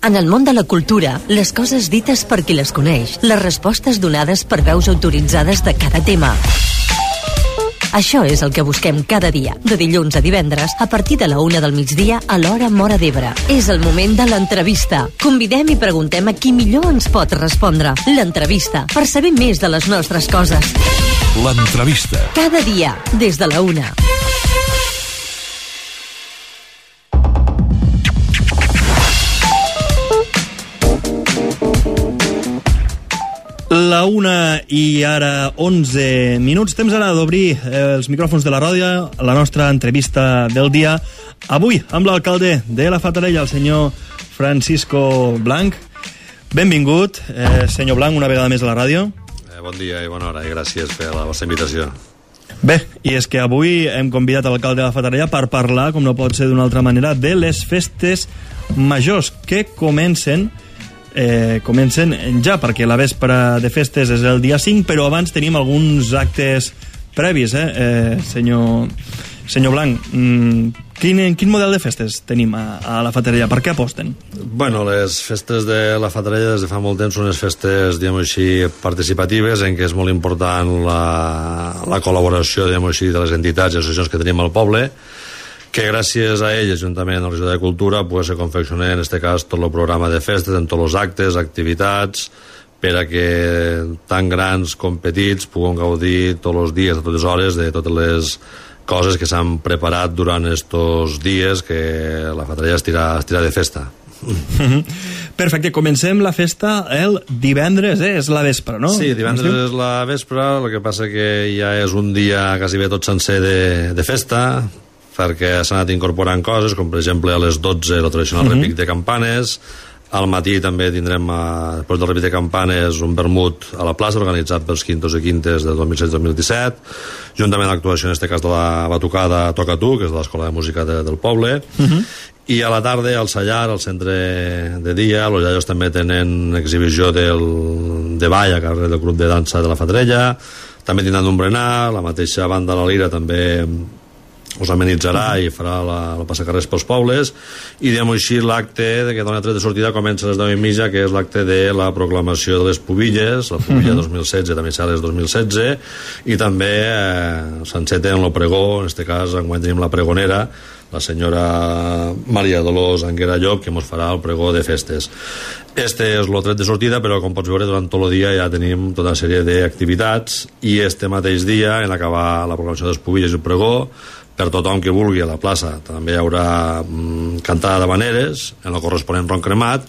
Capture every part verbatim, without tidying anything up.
En el món de la cultura, les coses dites per qui les coneix, les respostes donades per veus autoritzades de cada tema. Això és el que busquem cada dia, de dilluns a divendres, a partir de la una del migdia a l'hora Móra d'Ebre. És el moment de l'entrevista. Convidem i preguntem a qui millor ens pot respondre. L'entrevista, per saber més de les nostres coses. L'entrevista. Cada dia, des de la una. La una i ara onze minuts. Temps ara d'obrir els micròfons de la ràdio, la nostra entrevista del dia. Avui amb l'alcalde de la Fatarella, el senyor Francisco Blanch. Benvingut, eh, senyor Blanch, una vegada més a la ràdio. Eh, bon dia i bona hora, i gràcies per la vostra invitació. Bé, i és que avui hem convidat l'alcalde de la Fatarella per parlar, com no pot ser d'una altra manera, de les festes majors que comencen Eh, comencen ja, perquè la vespra de festes és el dia cinc, però abans tenim alguns actes previs, eh, eh senyor, senyor Blanch. Mm, quin, quin model de festes tenim a, a la Fatarella? Per què aposten? Bueno, les festes de la Fatarella des de fa molt temps són unes festes, diguem així, participatives, en què és molt important la, la col·laboració, diguem així, de les entitats i associacions que tenim al poble, que gràcies a elles, juntament amb la Regió de Cultura, pues, se confecciona en aquest cas tot el programa de festes, en tots els actes, activitats, per a que tan grans com petits puguen gaudir tots els dies, a totes hores, de totes les coses que s'han preparat durant estos dies que la Fatarella estirà, estirà de festa. Perfecte, comencem la festa el divendres, eh? És la vespre, no? Sí, divendres és la vespre, el que passa que ja és un dia quasi bé tot sencer de, de festa, perquè s'han anat incorporant coses, com per exemple a les dotze el tradicional uh-huh. repic de campanes. Al matí també tindrem, a, després del repic de campanes, un vermut a la plaça organitzat pels quintos i quintes del dos mil setze dos mil disset, juntament a l'actuació en aquest cas de la batucada Toca Tu, que és de l'Escola de Música de, del poble. Uh-huh. I a la tarda al Sallar, al centre de dia, els iaios també tenen exhibició del, de ball a carrer del grup de dansa de la Fatarella, també tindran un berenar, la mateixa banda La Lira també us amenitzarà i farà la, la passacarrers pels pobles, i diguem així l'acte que dona tret de sortida comença a les deu i mitja, que és l'acte de la proclamació de les pubilles, la pubilla uh-huh. dos mil setze també serà les dos mil setze, i també eh, s'enceta en el pregó, en aquest cas enguany tenim la pregonera, la senyora Maria Dolors Anguera Llop, que ens farà el pregó de festes. Este és el tret de sortida, però com pots veure durant tot el dia ja tenim tota una sèrie d'activitats, i este mateix dia, en acabar la proclamació de les pubilles i el pregó, per tothom que vulgui a la plaça també hi haurà mm, cantada d'habaneres en el corresponent ron cremat,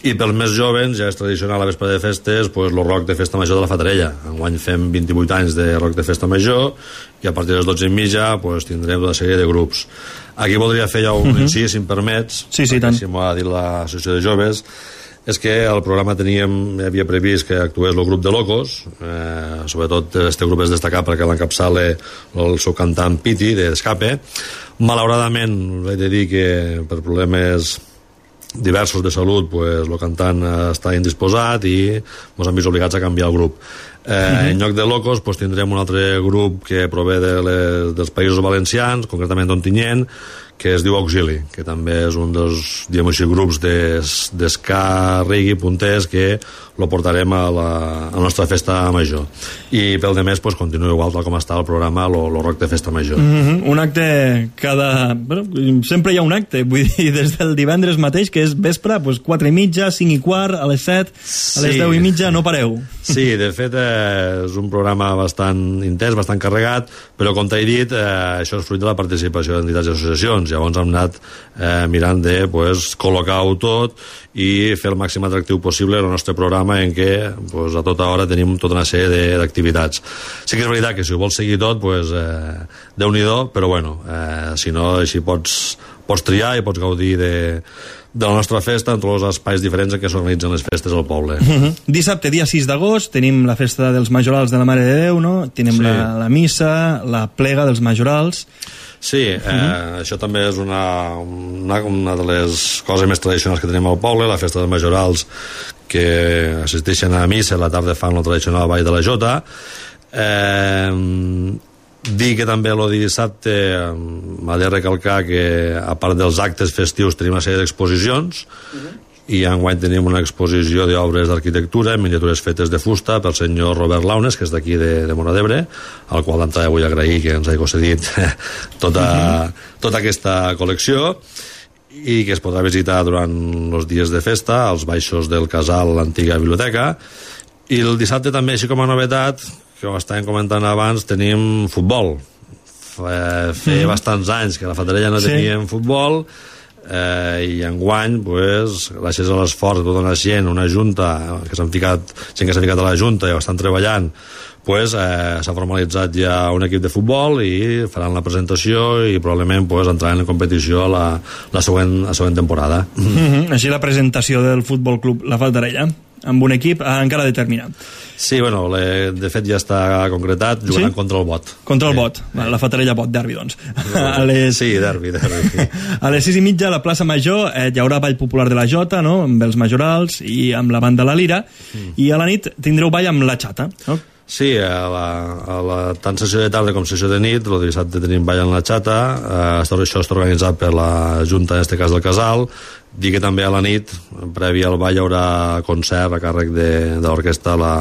i pels més jovens ja és tradicional a la vespre de festes pues, el rock de festa major de la Fatarella. Enguany fem vint-i-vuit anys de rock de festa major, i a partir de les dotze i mitja pues, tindrem una sèrie de grups. Aquí voldria fer ja un uh-huh. incís, si em permets, sí, sí, tant. Si m'ho ha dit l'associació de joves. És que al programa teníem, havia previst que actués el grup de Locos, eh, sobretot este grup és destacat perquè l'encapçala el seu cantant Piti, d'Escape. Malauradament, he de dir que per problemes diversos de salut, pues, el cantant està indisposat i ens han vist obligats a canviar el grup. Eh, uh-huh. En lloc de Locos pues, tindrem un altre grup que prové de les, dels Països Valencians, concretament d'Ontinyent, que es diu Auxili, que també és un dels, diguem així, grups d'esca reggae punters que lo portarem a la, a la nostra festa major. I pel de més, pues, continua igual tal com està el programa, lo, lo rock de festa major. Mm-hmm. Un acte cada... Bueno, sempre hi ha un acte, vull dir, des del divendres mateix, que és vespre, pues, quatre i mitja, cinc i quart, a les set, sí. A les deu i mitja, no pareu. Sí, de fet, eh, és un programa bastant intens, bastant carregat, però, com t'he dit, eh, això és fruit de la participació d'entitats i associacions. Llavors hem anat eh, mirant de pues, col·locar-ho tot i fer el màxim atractiu possible el nostre programa, en què pues, a tota hora tenim tota una sèrie d'activitats. Sí que és veritat que si ho vols seguir tot, pues, eh, Déu-n'hi-do, però bueno, eh, si no, així pots, pots triar i pots gaudir de, de la nostra festa en tots els espais diferents en què s'organitzen les festes al poble. Uh-huh. Dissabte, dia sis d'agost, tenim la festa dels majorals de la Mare de Déu, no? Tenim sí. la, la missa, la plega dels majorals. Sí, eh, uh-huh. això també és una, una, una de les coses més tradicionals que tenim al poble, la festa dels majorals, que assisteixen a missa, a la tarda fan el tradicional ball de la jota. Eh, dir que també el dissabte m'ha de recalcar que, a part dels actes festius, tenim una sèrie d'exposicions, uh-huh. i enguany tenim una exposició d'obres d'arquitectura, miniatures fetes de fusta pel senyor Robert Launes, que és d'aquí de, de Móra d'Ebre, al qual d'entrada vull agrair que ens hagi concedit tota, uh-huh. tota aquesta col·lecció, i que es podrà visitar durant els dies de festa als baixos del casal, l'antiga biblioteca. I el dissabte també, així com a novetat, que ho estàvem comentant abans, tenim futbol. Feia mm. bastants anys que a la Fatarella no sí. teníem futbol, eh, i enguany, pues, gràcies a l'esforç de tota una gent, una junta que s'han ficat, gent que s'ha ficat a la junta i ho estan treballant, pues, eh, s'ha formalitzat ja un equip de futbol i faran la presentació i probablement pues, entraran en competició la, la, següent, la següent temporada. Mm-hmm. Així la presentació del Futbol Club La Fatarella amb un equip encara determinat. Sí, bueno, le, de fet ja està concretat, jugaran sí? contra el Bot. Contra el sí. Bot, sí. La Fatarella Bot, derbi, doncs. A les... Sí, derbi, derbi. A les sis i mitja a la plaça Major eh, hi haurà ball popular de la Jota, no?, amb els majorals i amb la banda La Lira, mm. i a la nit tindreu ball amb la Xata, no? Sí, a la, a la, tant sessió de tarda com sessió de nit, el dissabte tenim ball en la Xata, eh, això està organitzat per la Junta, en este cas del Casal, dir que també a la nit, previ al ball, hi haurà concert a càrrec de, de l'orquestra la,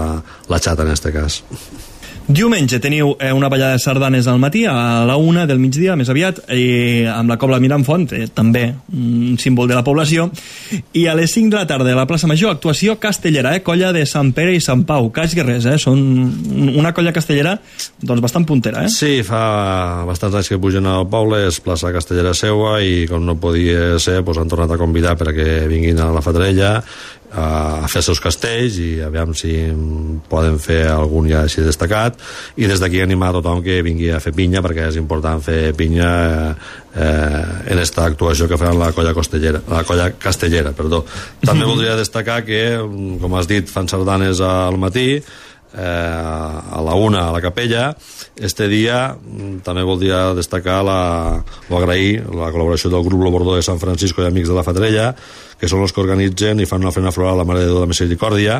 la Xata, en este cas. Diumenge teniu eh, una ballada de sardanes al matí, a la una del migdia, més aviat, i amb la Cobla Mirambont, eh, també un símbol de la població, i a les cinc de la tarda a la plaça Major, actuació castellera, eh, colla de Sant Pere i Sant Pau, Cas Guerrers, eh, són una colla castellera doncs bastant puntera, eh? Sí, fa bastants anys que pugen al poble, és plaça castellera seua, i com no podia ser, doncs han tornat a convidar perquè vinguin a la Fatarella a fer els seus castells, i aviam si poden fer algun ja així destacat, i des d'aquí animar a tothom que vingui a fer pinya, perquè és important fer pinya eh, en esta actuació que faran la colla castellera, la colla castellera, perdó. També voldria destacar que, com has dit, fan sardanes al matí, eh, a la una a la capella. Este dia també voldria destacar la, o agrair la col·laboració del grup Lo Bordó de Sant Francisco i Amics de la Fatarella, que són els que organitzen i fan una ofrena floral a la Mare de Déu de la Misericòrdia,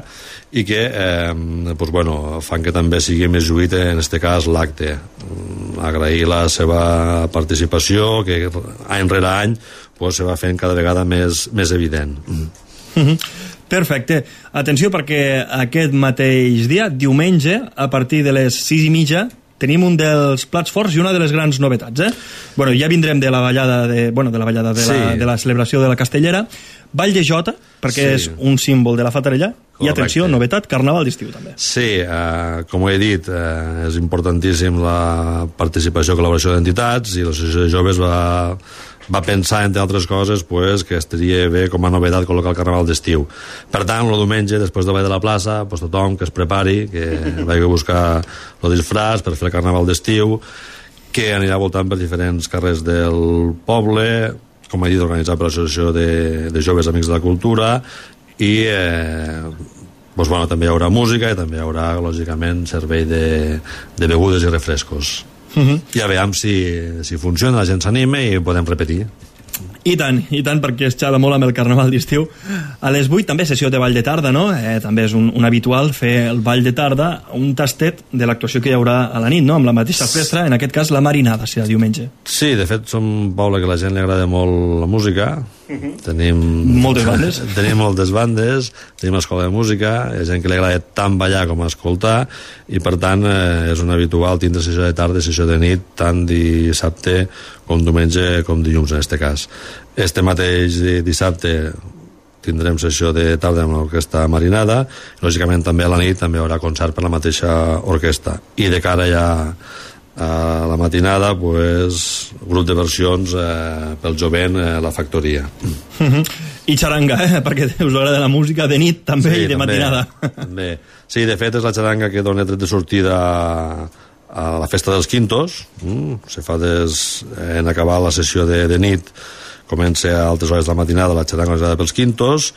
i que eh, pues bueno, fan que també sigui més lluït en este cas l'acte. Agrair la seva participació, que any rere any pues, se va fent cada vegada més, més evident. Mm-hmm. Perfecte. Atenció, perquè aquest mateix dia, diumenge, a partir de les sis i mitja, tenim un dels plats forts i una de les grans novetats, eh? Bueno, ja vindrem de la ballada de, bueno, de la ballada de, sí. la, de la celebració de la Castellera. Ball de Jota, perquè sí. és un símbol de la Fatarella. Correcte. I atenció, novetat, carnaval d'estiu també. Sí, eh, com he dit, eh, és importantíssim la participació i col·laboració d'entitats, i l'Associació de Joves va, va pensar, entre altres coses, pues, que estaria bé com a novetat col·locar el carnaval d'estiu. Per tant, el diumenge, després de ball de la plaça, pues, tothom que es prepari, que vagi a buscar el disfraç per fer el carnaval d'estiu, que anirà voltant per diferents carrers del poble, com he dit, organitzat per l'Associació de, de Joves Amics de la Cultura, i eh, doncs, bueno, també hi haurà música i també hi haurà, lògicament, servei de, de begudes i refrescos. Uh-huh. Ja veiem si, si funciona, la gent s'anima i podem repetir. I tant, i tant, perquè es xala molt amb el carnaval d'estiu. A les vuit també sessió de ball de tarda, no? Eh, també és un, un habitual fer el ball de tarda, un tastet de l'actuació que hi haurà a la nit, no? Amb la mateixa orquestra, en aquest cas la Marinada, serà diumenge. Sí, de fet som un poble que a la gent li agrada molt la música. Uh-huh. Tenim moltes bandes. Tenim moltes bandes, tenim escola de música, hi ha gent que li agrada tant ballar com escoltar, i per tant eh, és un habitual tindre sessió de tarda i sessió de nit, tant dissabte com diumenge com dilluns en este cas. Este mateix dissabte tindrem sessió de tarda amb l'orquestra Marinada, i lògicament també a la nit també hi haurà concert per la mateixa orquestra, i de cara ja a la matinada, pues, grup de versions eh, pel jovent, eh, la Factoria. Uh-huh. I xaranga, eh? Perquè us agrada la música de nit també, sí, i de també, matinada. També. Sí, de fet és la xaranga que dona tret de sortida a la festa dels Quintos. Mm, se fa des, en acabar la sessió de, de nit, comença a altres hores de la matinada la xaranga organitzada pels Quintos,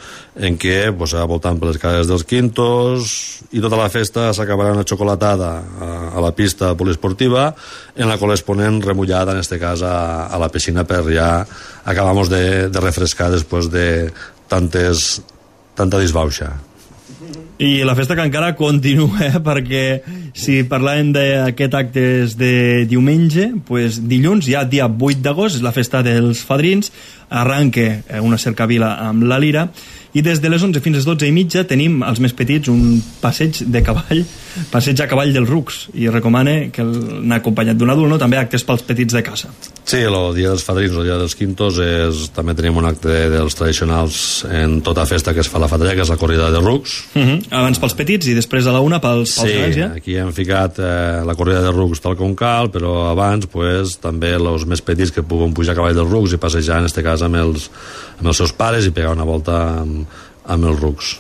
en què pues, voltant per les cases dels Quintos, i tota la festa s'acabarà una xocolatada a, a la pista poliesportiva, en la qual es ponen remullada, en este cas a, a la piscina, per ja acabamos de, de refrescar després de tantes, tanta disbauxa. I la festa que encara continua, eh? Perquè si parlàvem d'aquest acte de diumenge, pues dilluns, ja dia vuit d'agost, és la festa dels fadrins, arranca una cercavila amb la lira, i des de les onze fins a les dotze i mitja tenim els més petits un passeig de cavall, passeig a cavall dels rucs, i recomana que anar acompanyat d'un adult, no? També actes pels petits de casa. Sí, el dia dels fadrins, el dia dels quintos, és, també tenim un acte dels tradicionals en tota festa que es fa a la Fatarella, que és la corrida de rucs. Uh -huh. Abans pels petits i després a la una pels, pels sí, grans, ja? Sí, aquí hem ficat eh, la corrida de rucs tal com cal, però abans pues, també els més petits que puguen pujar a cavall dels rucs i passejar, en este cas, amb els, amb els seus pares i pegar una volta amb, amb els rucs.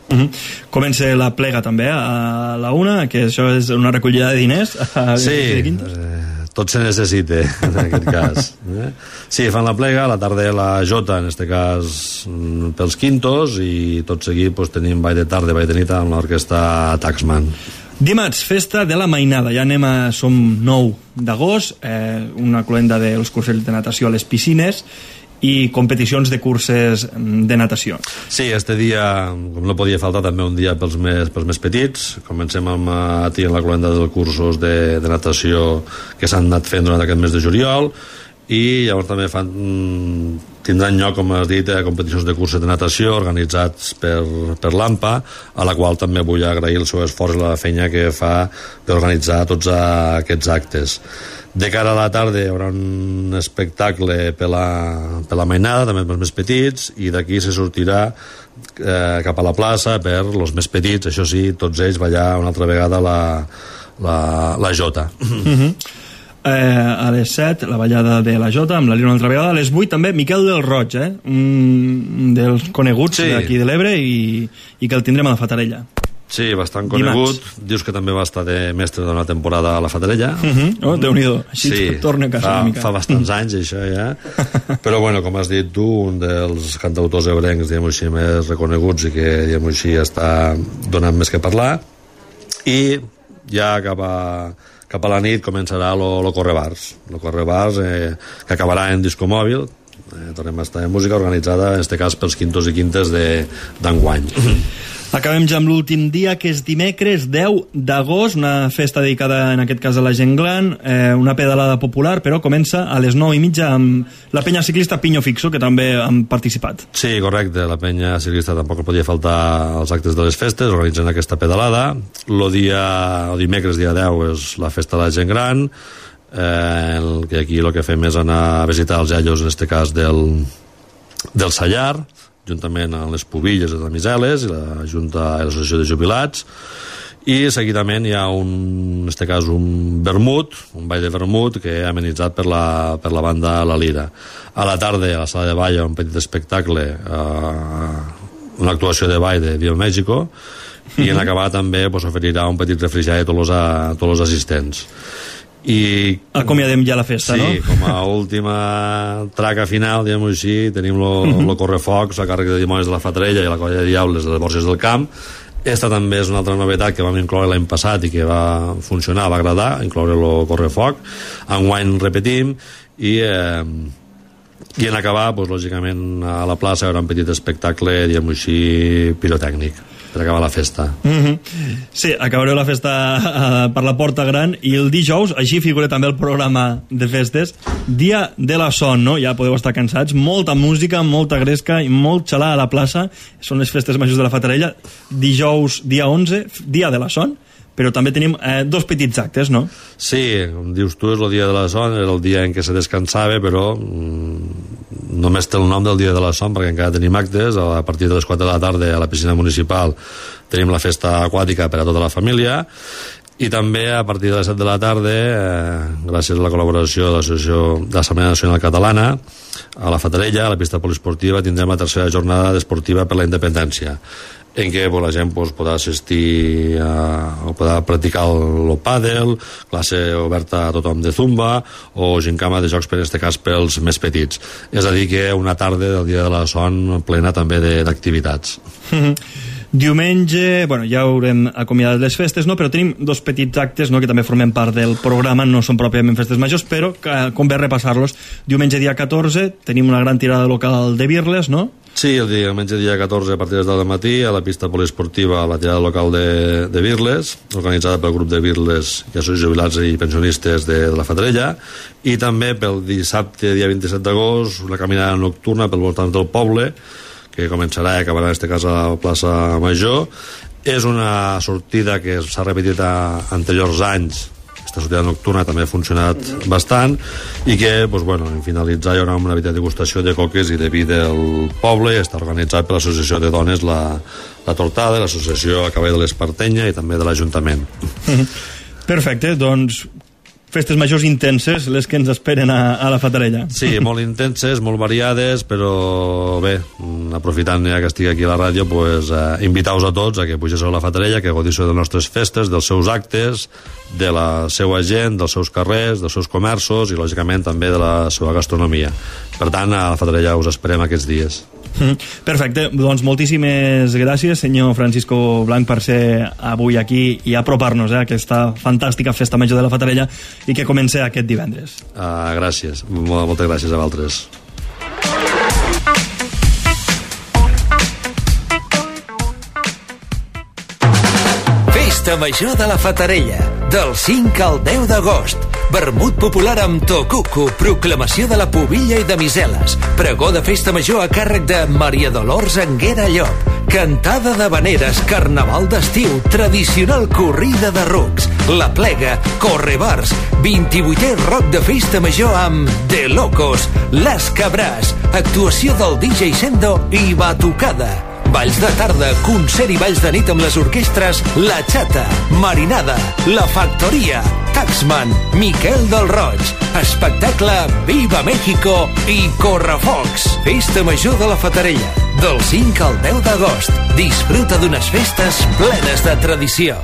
Uh -huh. Comença la plega també a la una, que això és una recollida de diners a sí, eh, tot se necessita en aquest cas, eh? Sí, fan la plega, a la tarda la jota, en este cas pels quintos, i tot seguit pues, tenim ball de tarda, ball de nit amb l'orquestra Taxman. Dimarts, festa de la mainada, ja anem a... som nou d'agost, eh, una cloenda dels cursos de natació a les piscines i competicions de curses de natació. Sí, este dia, com no podia faltar, també un dia pels més, pels més petits. Comencem amb a en la cloenda dels cursos de, de natació que s'han anat fent durant aquest mes de juliol, i llavors també fan, tindran lloc, com has dit, competicions de curses de natació organitzats per, per l'AMPA, a la qual també vull agrair el seu esforç i la feina que fa d'organitzar tots aquests actes. De cara a la tarda hi haurà un espectacle per la, per la mainada, també pels més petits, i d'aquí se sortirà eh, cap a la plaça per els més petits, això sí, tots ells ballar una altra vegada la, la, la jota. Uh-huh. Eh, a les set, la ballada de la jota amb la lira una altra vegada. A les vuit també Miquel del Roig, eh? un dels coneguts sí. d'aquí de l'Ebre, i, i que el tindrem a la Fatarella. Sí, bastant conegut. Dimarts. Dius que també va estar de mestre d'una temporada a la Fatarella. Uh -huh. Oh, Déu-n'hi-do. Així sí, torna a casa fa, una mica. Fa bastants anys, això, ja. Però, bueno, com has dit tu, un dels cantautors ebrencs, diguem-ho així, més reconeguts i que, diguem-ho així, està donant més que parlar. I ja cap a, cap a la nit començarà lo, lo Correbars. Lo Correbars, eh, que acabarà en disco mòbil. Eh, tornem a estar en música organitzada, en este cas, pels quintos i quintes d'enguany. Acabem ja amb l'últim dia, que és dimecres deu d'agost, una festa dedicada en aquest cas a la gent gran, eh, una pedalada popular, però comença a les nou i mitja amb la penya ciclista Piño Fixo, que també han participat. Sí, correcte, la penya ciclista tampoc podia faltar als actes de les festes, organitzen aquesta pedalada. El dia, el dimecres, dia deu, és la festa de la gent gran, eh, el, que aquí el que fem és anar a visitar els iaios, en este cas del, del Sallar, juntament amb les Pubilles de Damiseles i la Junta i l'Associació de Jubilats, i seguidament hi ha un, en este cas un vermut, un ball de vermut que ha amenitzat per la, per la banda La Lira. A la tarda a la sala de ball hi ha un petit espectacle, eh, una actuació de ball de Viva México, i en acabar també pues, oferirà un petit refrigeri a tots els, a tots els assistents. I acomiadem ja la festa, sí, no? Sí, com a última traca final, diguem-ho així, tenim lo, uh -huh. lo correfocs a càrrec de dimonis de la Fatarella i la colla de diables de les Borges del Camp. Esta també és una altra novetat que vam incloure l'any passat i que va funcionar, va agradar, incloure el correfoc. Enguany repetim, i eh, i en acabar, doncs, lògicament, a la plaça hi haurà un petit espectacle, diguem-ho així, pirotècnic, per acabar la festa. Mm-hmm. Sí, acabareu la festa uh, per la Porta Gran, i el dijous, així figura també el programa de festes, Dia de la Son, no? Ja podeu estar cansats, molta música, molta gresca i molt xalar a la plaça. Són les festes majors de la Fatarella. Dijous, dia onze, Dia de la Son, però també tenim eh, dos petits actes, no? Sí, com dius tu, és el Dia de la Son, era el dia en què se descansava, però mm, només té el nom del Dia de la Son, perquè encara tenim actes. A partir de les quatre de la tarda a la piscina municipal tenim la festa aquàtica per a tota la família, i també a partir de les set de la tarda, eh, gràcies a la col·laboració de l'Associació de l'Assemblea Nacional Catalana, a la Fatarella, a la pista poliesportiva, tindrem la tercera jornada esportiva per la independència, en què pues, la gent pues, podrà assistir a, o podrà practicar el, el pàdel, classe oberta a tothom de zumba, o gincama de jocs, per en aquest cas, pels més petits. És a dir, que una tarda del Dia de la Son plena també d'activitats. Diumenge, bueno, ja haurem acomiadat les festes, no? Però tenim dos petits actes, no?, que també formen part del programa, no són pròpiament festes majors, però que convé repassar-los. Diumenge dia catorze tenim una gran tirada local de birles, no?, Sí, el diumenge dia catorze a partir de les deu del matí a la pista poliesportiva a la tirada local de, de Birles, organitzada pel grup de Birles i associacions jubilats i pensionistes de, de la Fatarella, i també pel dissabte dia vint-i-set d'agost una caminada nocturna pel voltant del poble que començarà i acabarà en este cas a la plaça Major. És una sortida que s'ha repetit a anteriors anys. Aquesta sortida nocturna també ha funcionat bastant i que, doncs, bueno, en finalitzar hi haurà una petita degustació de coques i de vi del poble. Està organitzat per l'associació de dones la, la Tortada, l'associació a cavall de l'Espartenya i també de l'Ajuntament. Perfecte, doncs festes majors intenses, les que ens esperen a, a la Fatarella. Sí, molt intenses, molt variades, però bé, aprofitant ja que estic aquí a la ràdio, pues, eh, invitar-vos a tots a que pugéssiu a la Fatarella, que gaudissiu de les nostres festes, dels seus actes, de la seva gent, dels seus carrers, dels seus comerços i, lògicament, també de la seva gastronomia. Per tant, a la Fatarella us esperem aquests dies. Perfecte, doncs moltíssimes gràcies, senyor Francisco Blanc, per ser avui aquí i apropar-nos eh, a aquesta fantàstica festa major de la Fatarella i que comença aquest divendres. Uh, gràcies, moltes gràcies a vosaltres. Festa Major de la Fatarella, del cinc al deu d'agost. Vermut popular amb tocuco, proclamació de la pubilla i de miseles, pregó de festa major a càrrec de Maria Dolors Anguera Llop, cantada d'habaneres, carnaval d'estiu, tradicional corrida de rucs, la plega, correbars, vint-i-vuitè rock de festa major amb De Locos, Les Cabràs, actuació del D J Sendo i batucada. Balls de tarda, concert i balls de nit amb les orquestres La Chata, Marinada, La Factoria, Taxman, Miquel del Roig, espectacle Viva México i Correfocs. Festa Major de la Fatarella, del cinc al deu d'agost. Disfruta d'unes festes plenes de tradició.